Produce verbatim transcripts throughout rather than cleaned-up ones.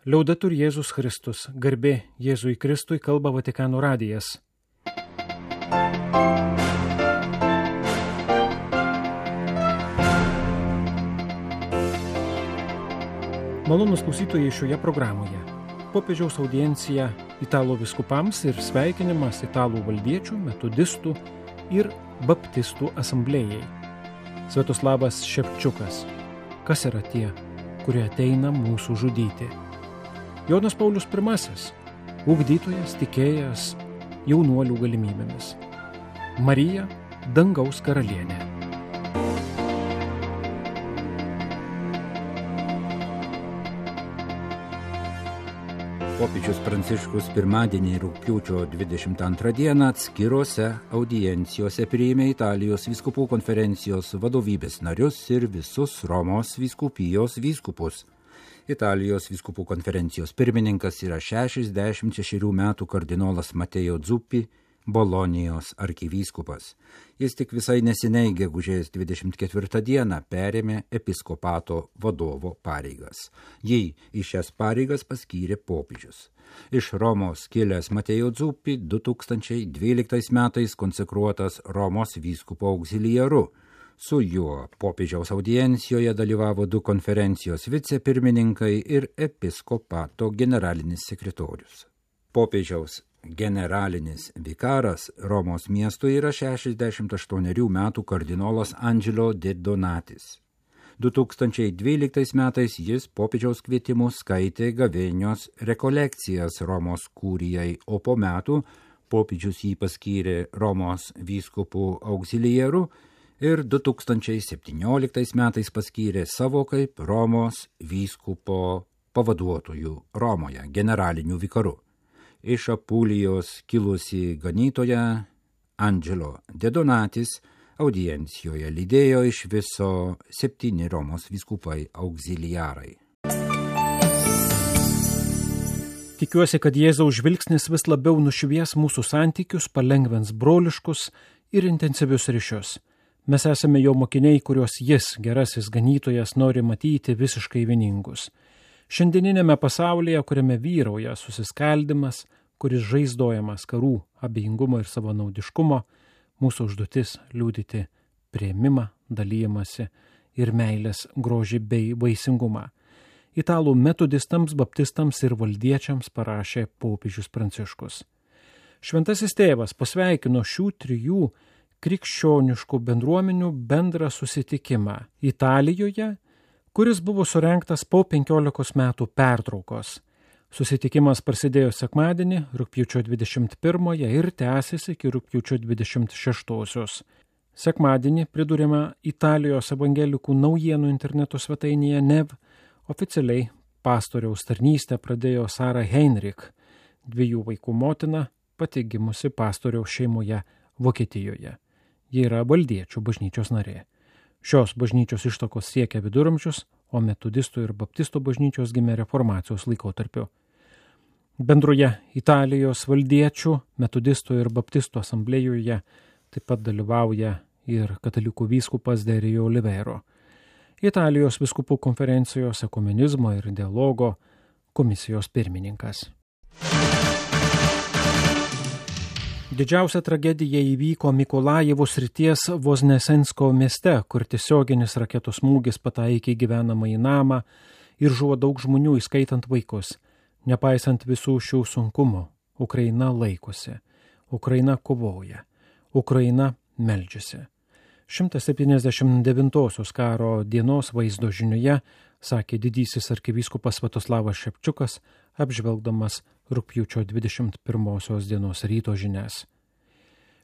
Liaudetur Jėzus Kristus, garbė Jėzui Kristui, kalba Vatikano radijas. Malonūs klausytojai šioje programoje. Popiežiaus audiencija italų vyskupams ir sveikinimas italų valdiečių, metodistų ir baptistų asamblėjai. Sviatoslavas Šepčiukas. Kas yra tie, kurie ateina mūsų žudyti? Jonas Paulius pirmasis. Ugdytojas, tikėjas jaunuolių galimybėmis. Marija, dangaus karalienė. Popiežius Pranciškus pirmadienį rugpjūčio dvidešimt antrą dieną atskirose audiencijose priėmė Italijos vyskupų konferencijos vadovybės narius ir visus Romos vyskupijos vyskupus. Italijos vyskupų konferencijos pirmininkas yra šešiasdešimt šešerių metų kardinolas Mateo Zuppi, Bolonijos arkivyskupas. Jis tik visai neseniai gegužės dvidešimt ketvirtą dieną perėmė episkopato vadovo pareigas. Jį į šias pareigas paskyrė popiežius. Iš Romos kilęs Mateo Zuppi du tūkstančiai dvyliktais metais konsekruotas Romos vyskupo auxiliaru. Su juo popiežiaus audiencijoje dalyvavo du konferencijos vicepirmininkai ir episkopato generalinis sekretorius. Popiežiaus generalinis vikaras Romos miestui yra šešiasdešimt aštuonerių metų kardinolas Angelo de Donatis. du tūkstančiai dvyliktais metais jis popiežiaus kvietimu skaitė gavėnios rekolekcijas Romos kurijai, o po metų popiežius jį paskyrė Romos vyskupų auxiliaru ir du tūkstančiai septynioliktais metais paskyrė savo kaip Romos vyskupo pavaduotojų Romoje generaliniu vikaru. Iš Apulijos kilusi ganytoja Angelo de Donatis audiencijoje lydėjo iš viso septyni Romos vyskupai auxiliarai. Tikiuosi, kad Jėzaus žvilgsnis vis labiau nušvies mūsų santykius, palengvins broliškus ir intensyvius ryšius. Mes esame jo mokiniai, kuriuos jis, gerasis ganytojas, nori matyti visiškai vieningus. Šiandieninėme pasaulyje, kuriame vyrauja susiskaldimas, kuris žaizdojamas karų, abejingumo ir savanaudiškumo, mūsų užduotis liudyti priėmimą, dalijimąsi ir meilės grožį bei vaisingumą. Italų metodistams, baptistams ir valdiečiams parašė popiežius Pranciškus. Šventasis tėvas pasveikino šių trijų krikščioniškų bendruomenių bendrą susitikimą Italijoje, kuris buvo surengtas po penkiolikos metų pertraukos. Susitikimas prasidėjo sekmadienį, rugpjūčio dvidešimt pirmąją ir tęsis iki rugpjūčio dvidešimt šeštosios. Sekmadienį, priduriama Italijos evangelikų naujienų interneto svetainėje N E V, oficialiai pastoriaus tarnystę pradėjo Sara Heinrich, dviejų vaikų motina, pati gimusi pastoriaus šeimoje Vokietijoje. Ji yra valdiečių bažnyčios narė. Šios bažnyčios ištakos siekia viduramžius, o metodistų ir baptistų bažnyčios gimė reformacijos laikotarpiu. Bendroje Italijos valdiečių, metodistų ir baptistų asamblėjoje taip pat dalyvauja ir katalikų vyskupas Derijo Olivero. Italijos vyskupų konferencijos ekumenizmo ir dialogo komisijos pirmininkas. Didžiausia tragedija įvyko Mikolajivo srities Voznesensko mieste, kur tiesioginis raketų smūgis pataikė gyvenamą į namą ir žuvo daug žmonių, įskaitant vaikus. Nepaisant visų šių sunkumų, Ukraina laikosi, Ukraina kovoja, Ukraina meldžiasi. šimtas septyniasdešimt devintosios karo dienos vaizdo žinioje sakė didysis arkivyskupas Sviatoslavas Šepčiukas, apžvelgdamas rugpjūčio dvidešimt pirmosios dienos ryto žinias.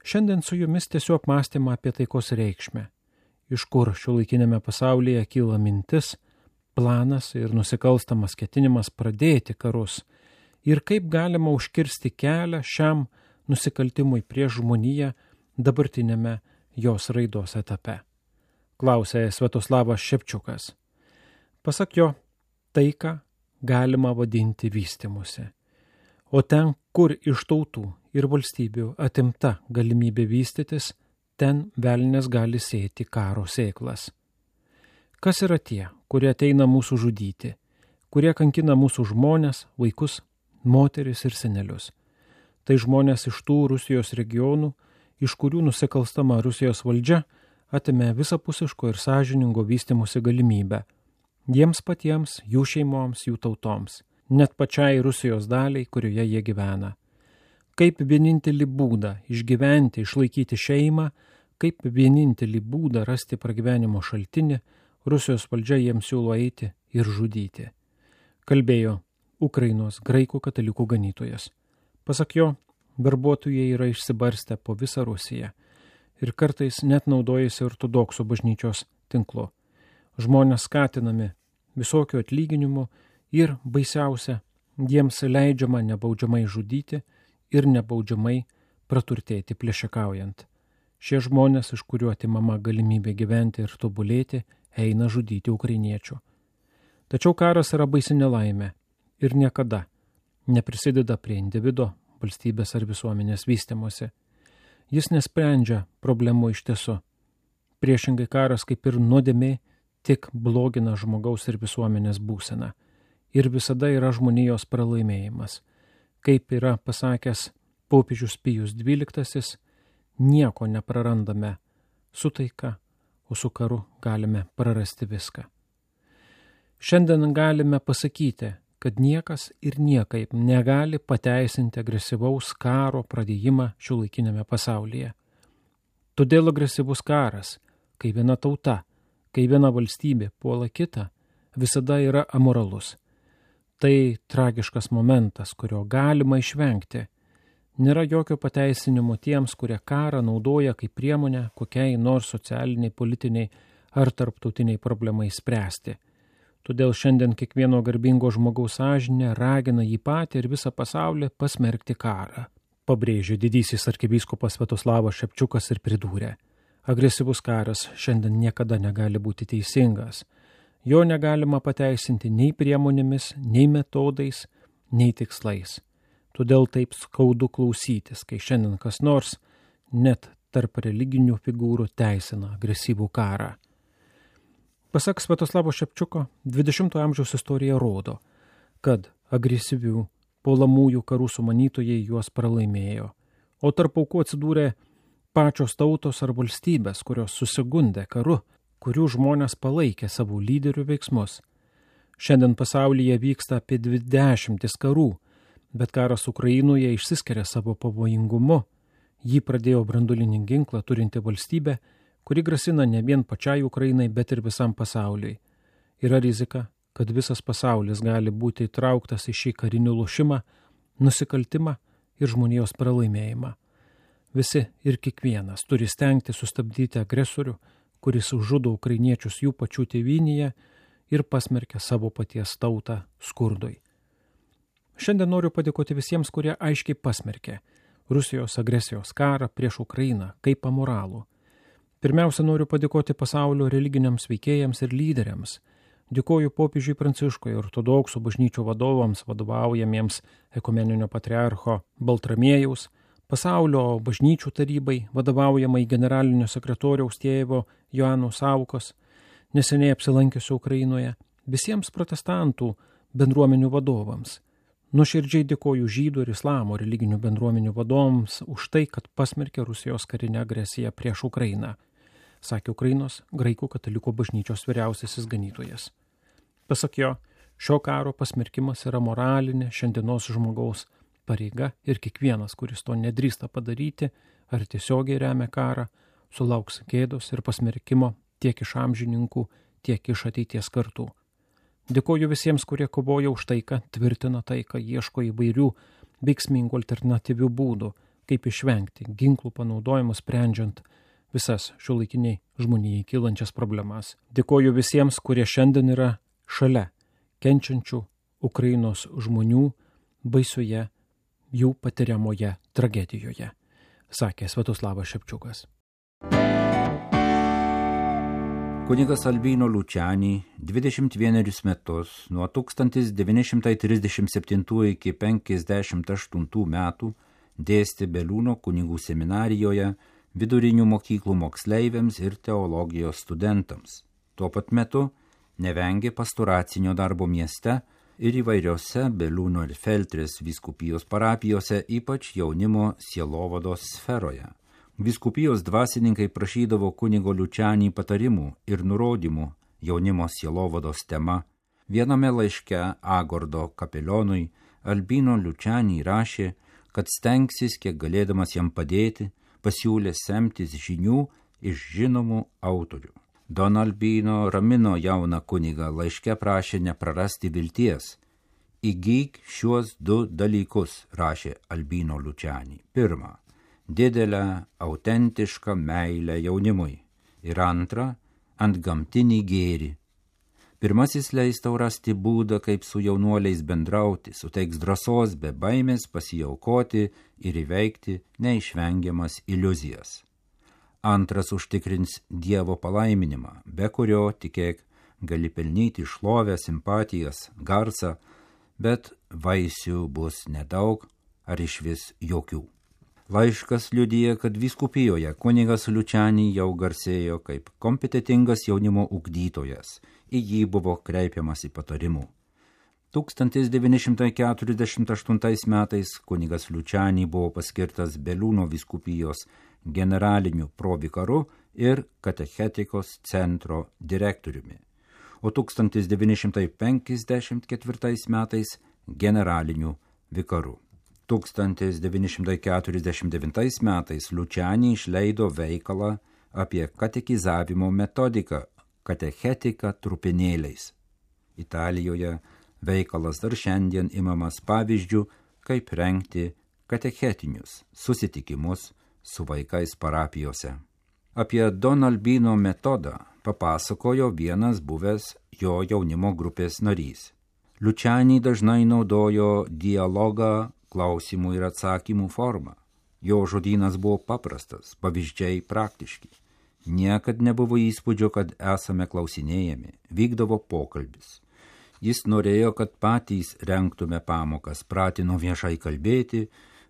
Šiandien su jumis tiesiog apmąstymą apie taikos reikšmę, iš kur šiuolaikinėme pasaulyje kyla mintis, planas ir nusikalstamas ketinimas pradėti karus ir kaip galima užkirsti kelią šiam nusikaltimui prieš žmoniją dabartinėme jos raidos etape. Klausė Sviatoslavas Šepčiukas. Pasak jo, taiką galima vadinti vystymusi. O ten, kur iš tautų ir valstybių atimta galimybė vystytis, ten velnias gali sėti karo sėklas. Kas yra tie, kurie ateina mūsų žudyti, kurie kankina mūsų žmonės, vaikus, moteris ir senelius. Tai žmonės iš tų Rusijos regionų, iš kurių nusikalstama Rusijos valdžia atėmė visapusiško ir sąžiningo vystymosi galimybę. Jiems patiems, jų šeimoms, jų tautoms, net pačiai Rusijos daliai, kurioje jie gyvena. Kaip vienintelį būdą išgyventi, išlaikyti šeimą, kaip vienintelį būdą rasti pragyvenimo šaltinį, Rusijos valdžia jiems siūlo eiti ir žudyti. Kalbėjo Ukrainos graikų katalikų ganytojas. Pasak jo, verbuotojai yra išsibarstę po visą Rusiją ir kartais net naudojasi ortodoksų bažnyčios tinklu. Žmonės skatinami visokių atlyginimų ir baisiausia, jiems leidžiama nebaudžiamai žudyti ir nebaudžiamai praturtėti plėšikaujant. Šie žmonės, iš kurių atimama galimybė gyventi ir tobulėti, eina žudyti ukrainiečių. Tačiau karas yra baisi nelaimė ir niekada neprisideda prie individo, valstybės ar visuomenės vystymosi. Jis nesprendžia problemų iš tiesų. Priešingai karas kaip ir nuodėmė tik blogina žmogaus ir visuomenės būseną ir visada yra žmonijos pralaimėjimas. Kaip yra pasakęs popiežius Pijus dvyliktasis, nieko neprarandame su taika, o su karu galime prarasti viską. Šiandien galime pasakyti, kad niekas ir niekaip negali pateisinti agresyvaus karo pradėjimą šiuolaikinėme pasaulyje. Todėl agresyvus karas, kai viena tauta, kai viena valstybė puola kitą, visada yra amoralus. Tai tragiškas momentas, kurio galima išvengti. Nėra jokio pateisinimo tiems, kurie karą naudoja kaip priemonę kokiai nors socialiniai, politiniai ar tarptautiniai problemai spręsti. Todėl šiandien kiekvieno garbingo žmogaus sąžinė ragina jį patį ir visą pasaulį pasmerkti karą. Pabrėžė didysis arkivyskupas Sviatoslavas Šepčiukas ir pridūrė: agresyvus karas šiandien niekada negali būti teisingas. Jo negalima pateisinti nei priemonėmis, nei metodais, nei tikslais. Todėl taip skaudu klausytis, kai šiandien kas nors net tarp religinių figūrų teisina agresyvų karą. Pasak Sviatoslavo Šepčiuko, dvidešimtojo amžiaus istorija rodo, kad agresyvių puolamųjų karų sumanytojai juos pralaimėjo, o tarp aukų atsidūrė pačios tautos ar valstybės, kurios susigundė karu, kurių žmonės palaikė savo lyderių veiksmus. Šiandien pasaulyje vyksta apie dvidešimtis karų, bet karas Ukrainoje išsiskiria savo pavojingumu. Jį pradėjo branduolinį ginklą turinti valstybė, kuri grasina ne vien pačiai Ukrainai, bet ir visam pasauliui. Yra rizika, kad visas pasaulis gali būti įtrauktas į šį karinį lošimą, nusikaltimą ir žmonijos pralaimėjimą. Visi ir kiekvienas turi stengti sustabdyti agresorių, kuris žudo ukrainiečius jų pačių tėvynėje ir pasmerkia savo paties tautą skurdui. Šiandien noriu padėkoti visiems, kurie aiškiai pasmerkė Rusijos agresijos karą prieš Ukrainą kaip amoralų. Pirmiausia, noriu padėkoti pasaulio religiniams veikėjams ir lyderiams. Dėkoju popiežiui Pranciškui, ortodoksų bažnyčių vadovams, vadovaujamiems ekumeninio patriarcho Baltramiejaus, pasaulio bažnyčių tarybai, vadovaujamai generalinio sekretoriaus tėvo Joano Saukos, neseniai apsilankiusio Ukrainoje, visiems protestantų bendruomenių vadovams. Nuoširdžiai dėkoju žydų ir islamo religinių bendruomenių vadovams už tai, kad pasmerkė Rusijos karinę agresiją prieš Ukrainą, sakė Ukrainos graikų katalikų bažnyčios vyriausiasis ganytojas. Pasak jo, šio karo pasmerkimas yra moralinė šiandienos žmogaus pareiga ir kiekvienas, kuris to nedrįsta padaryti ar tiesiogiai remia karą, sulauks gėdos ir pasmerkimo tiek iš amžininkų, tiek iš ateities kartų. Dėkoju visiems, kurie kovoja už taiką, tvirtina taiką, ieško įvairių veiksmingų alternatyvių būdų, kaip išvengti ginklų panaudojimo sprendžiant visas šiuolaikiniai žmonijai kylančias problemas. Dėkoju visiems, kurie šiandien yra šalia kenčiančių Ukrainos žmonių baisioje jų patiriamoje tragedijoje, sakė Sviatoslavas Šepčiukas. Kunigas Albino Lučiani dvidešimt vienerius metus nuo tūkstantis devyni šimtai trisdešimt septintų iki penkiasdešimt aštuntų metų dėstė Beliūno kunigų seminarijoje vidurinių mokyklų moksleiviams ir teologijos studentams. Tuo pat metu nevengė pastoracinio darbo mieste, ir įvairiose Beliūno ir Feltrės vyskupijos parapijose, ypač jaunimo sielovados sferoje. Vyskupijos dvasininkai prašydavo kunigo Liučianį patarimų ir nurodymų jaunimo sielovados tema. Viename laiške Agordo kapelionui Albino Liučianį rašė, kad stengsis kiek galėdamas jam padėti, pasiūlė semtis žinių iš žinomų autorių. Don Albino ramino jauną kunigą, laiške prašė neprarasti vilties. Įgyk šiuos du dalykus, rašė Albino Liučianį. Pirma, didelę, autentišką meilę jaunimui. Ir antra, antgamtinį gėrį. Pirmasis leis tau rasti būdą, kaip su jaunuoliais bendrauti, suteiks drąsos be baimės pasiaukoti ir įveikti neišvengiamas iliuzijas. Antras užtikrins Dievo palaiminimą, be kurio, tikėk, gali pelnyti šlovę, simpatijas, garsą, bet vaisių bus nedaug ar išvis jokių. Laiškas liudija, kad vyskupijoje kunigas Liučianį jau garsėjo kaip kompetentingas jaunimo ugdytojas, į jį buvo kreipiamasi patarimų. tūkstantis devyni šimtai keturiasdešimt aštuntais metais kunigas Liučianį buvo paskirtas Beliūno vyskupijos generaliniu provikaru ir katechetikos centro direktoriumi, o tūkstantis devyni šimtai penkiasdešimt ketvirtais metais generaliniu vikaru. tūkstantis devyni šimtai keturiasdešimt devintais metais Liučianį išleido veikalą apie katekizavimo metodiką katechetika trupinėliais. Italijoje veikalas dar šiandien imamas pavyzdžių, kaip rengti katechetinius susitikimus su vaikais parapijose. Apie Don Albino metodą papasakojo vienas buvęs jo jaunimo grupės narys. Liučianį dažnai naudojo dialogą klausimų ir atsakymų formą. Jo žodynas buvo paprastas, pavyzdžiai praktiški. Niekad nebuvo įspūdžio, kad esame klausinėjami, vykdavo pokalbis. Jis norėjo, kad patys rengtume pamokas, pratino viešai kalbėti,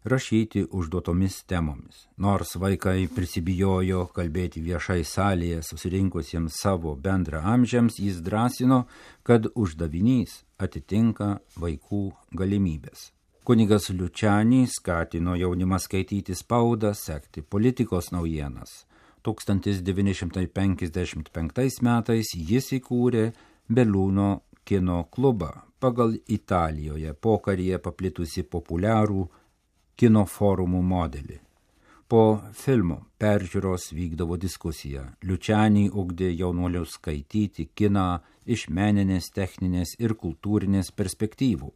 rašyti užduotomis temomis. Nors vaikai prisibijojo kalbėti viešai salėje susirinkusiems savo bendra amžiams, jis drąsino, kad uždavinys atitinka vaikų galimybės. Kunigas Liučianį skatino jaunimą skaityti spaudą, sekti politikos naujienas. tūkstantis devyni šimtai penkiasdešimt penktais metais jis įkūrė Beliūno kino klubą pagal Italijoje pokaryje paplitusi populiarų kino forumų modelį. Po filmo peržiūros vykdavo diskusija. Liučianį ugdė jaunuolius skaityti kiną iš meninės, techninės ir kultūrinės perspektyvų.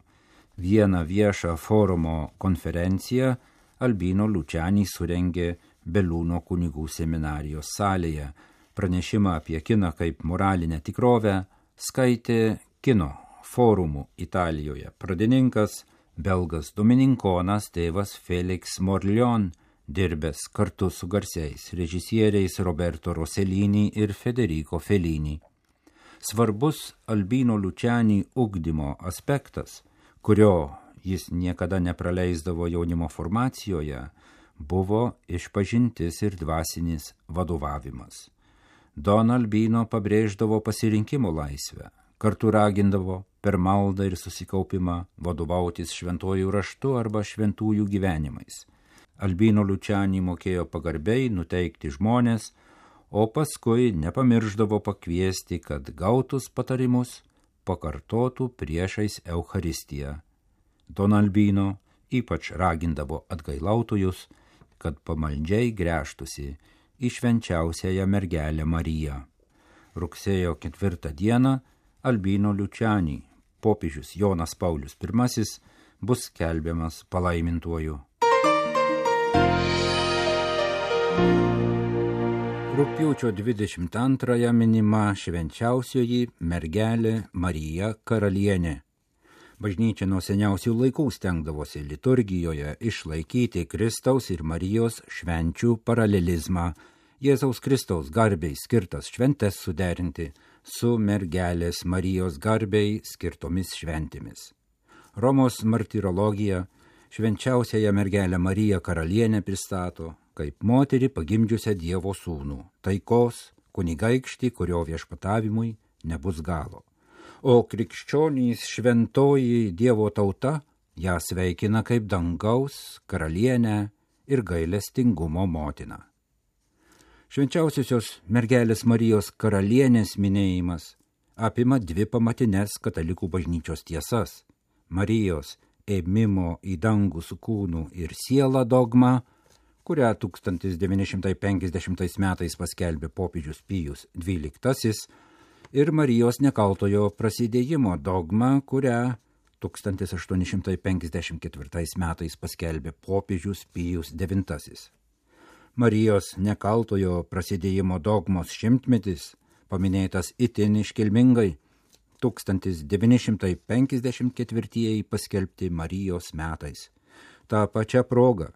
Vieną viešą forumo konferenciją Albino Liučianį surengė Beliūno kunigų seminarijos salėje. Pranešimą apie kiną kaip moralinę tikrovę skaitė kino forumų Italijoje pradininkas, belgas domininkonas tėvas Felix Morlion, dirbęs kartu su garsiais režisieriais Roberto Rossellini ir Federico Fellini. Svarbus Albino Liučianį ugdymo aspektas, kurio jis niekada nepraleisdavo jaunimo formacijoje, buvo išpažintis ir dvasinis vadovavimas. Don Albino pabrėždavo pasirinkimo laisvę, kartu ragindavo per maldą ir susikaupimą vadovautis šventuoju raštu arba šventųjų gyvenimais. Albino Liučianį mokėjo pagarbiai nuteikti žmonės, o paskui nepamirždavo pakviesti, kad gautus patarimus pakartotų priešais Eucharistiją. Don Albino ypač ragindavo atgailautojus, kad pamaldžiai gręžtųsi į švenčiausiąją mergelę Mariją. Rugsėjo ketvirtą dieną Albino Liučianį popiežius Jonas Paulius pirmasis bus skelbiamas palaimintuoju. Rugpjūčio dvidešimt antrąją minima švenčiausioji mergelė Marija Karalienė. Bažnyčia nuo seniausių laikų stengdavosi liturgijoje išlaikyti Kristaus ir Marijos švenčių paralelizmą, Jėzaus Kristaus garbei skirtas šventes suderinti su mergelės Marijos garbei skirtomis šventėmis. Romos martirologija švenčiausiąją mergelę Mariją Karalienę pristato kaip moterį pagimdžiusią Dievo sūnų, taikos, kunigaikštį, kurio viešpatavimui nebus galo. o krikščionys šventoji Dievo tauta ją sveikina kaip dangaus karalienę ir gailestingumo motiną. Švenčiausiosios mergelės Marijos karalienės minėjimas apima dvi pamatines katalikų bažnyčios tiesas – Marijos ėmimo į dangų su kūnu ir siela dogma, kurią tūkstantis devyni šimtai penkiasdešimtais metais paskelbė popiežius Pijus dvyliktasis, ir Marijos nekaltojo prasidėjimo dogma, kurią tūkstantis aštuoni šimtai penkiasdešimt ketvirtais metais paskelbė popiežius Pijus devintasis. Marijos nekaltojo prasidėjimo dogmos šimtmetis paminėtas itin iškilmingai, tūkstantis devyni šimtai penkiasdešimt ketvirtieji paskelbti Marijos metais. Ta pačia proga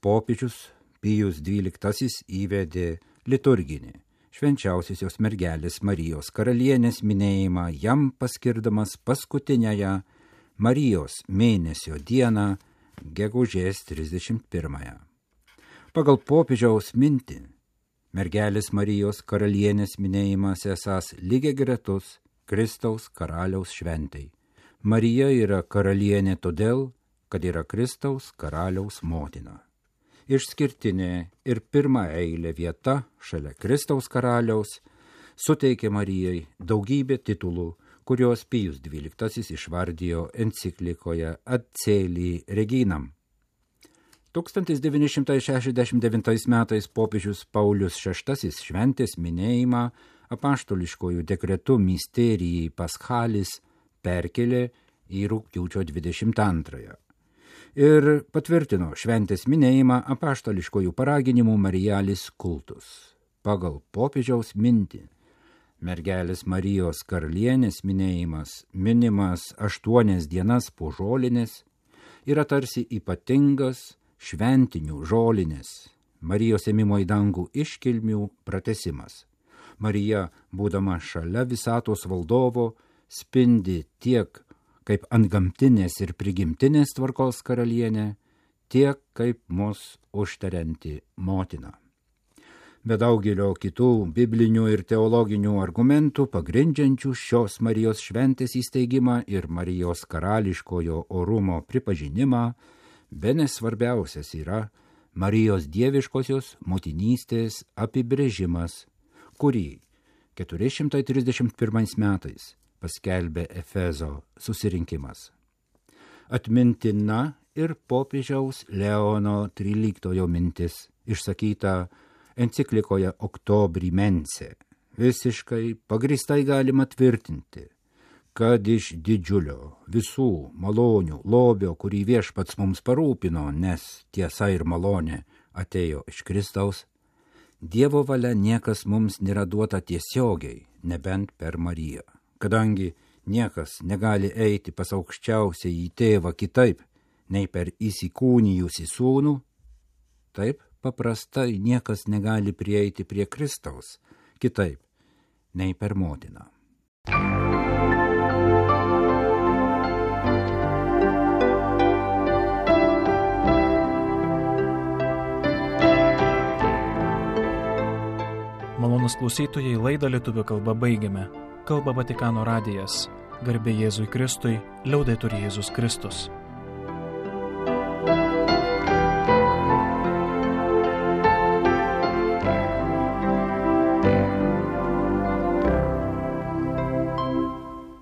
popiežius Pijus dvyliktasis įvedė liturginį švenčiausiosios mergelės Marijos karalienės minėjimą, jam paskirdamas paskutiniąją Marijos mėnesio dieną, gegužės trisdešimt pirmąją. Pagal popiežiaus mintį, mergelės Marijos karalienės minėjimas esąs lygiagretus Kristaus karaliaus šventei. Marija yra karalienė todėl, kad yra Kristaus karaliaus motina. Išskirtinė ir pirma eilė vieta šalia Kristaus karaliaus suteikė Marijai daugybę titulų, kurios Pijus dvyliktasis išvardijo enciklikoje Ad Caeli Reginam. tūkstantis devyni šimtai šešiasdešimt devintais metais popiežius Paulius šeštasis šventės minėjimą apaštališkojų dekretu Mysterijai Paschalis perkelė į rugpjūčio dvidešimt antrąją ir patvirtino šventės minėjimą apaštališkojų paraginimų Marijalis kultus. Pagal popiežiaus mintį, mergelės Marijos karalienės minėjimas, minimas aštuonias dienas po žolinės, yra tarsi ypatingas šventinių žolinės, Marijos ėmimo į dangų iškilmių pratesimas. Marija, būdama šalia visatos valdovo, spindi tiek kaip antgamtinės ir prigimtinės tvarkos karalienė, tiek kaip mus užtarianti motina. Be daugelio kitų biblinių ir teologinių argumentų pagrindžiančių šios Marijos šventės įsteigimą ir Marijos karališkojo orumo pripažinimą, bene svarbiausias yra Marijos dieviškosios motinystės apibrėžimas, kurį keturi šimtai trisdešimt pirmais metais paskelbė Efezo susirinkimas. Atmintina ir popiežiaus Leono tryliktojo mintis, išsakyta enciklikoje Octobri Mense. Visiškai pagristai galima tvirtinti, kad iš didžiulio visų malonių lobio, kurį viešpats mums parūpino, nes tiesa ir malonė atėjo iš Kristaus, Dievo valia niekas mums nėra duota tiesiogiai, nebent per Mariją. Kadangi niekas negali eiti pas aukščiausiai į tėvą kitaip, nei per įsikūnijusį sūnų, taip paprastai niekas negali prieiti prie Kristaus kitaip, nei per motiną. Malonūs klausytojai, laidą lietuvių kalba baigiame. Kalba Vatikano radijas. Garbė Jėzui Kristui, liaudetur Jėzus Kristus.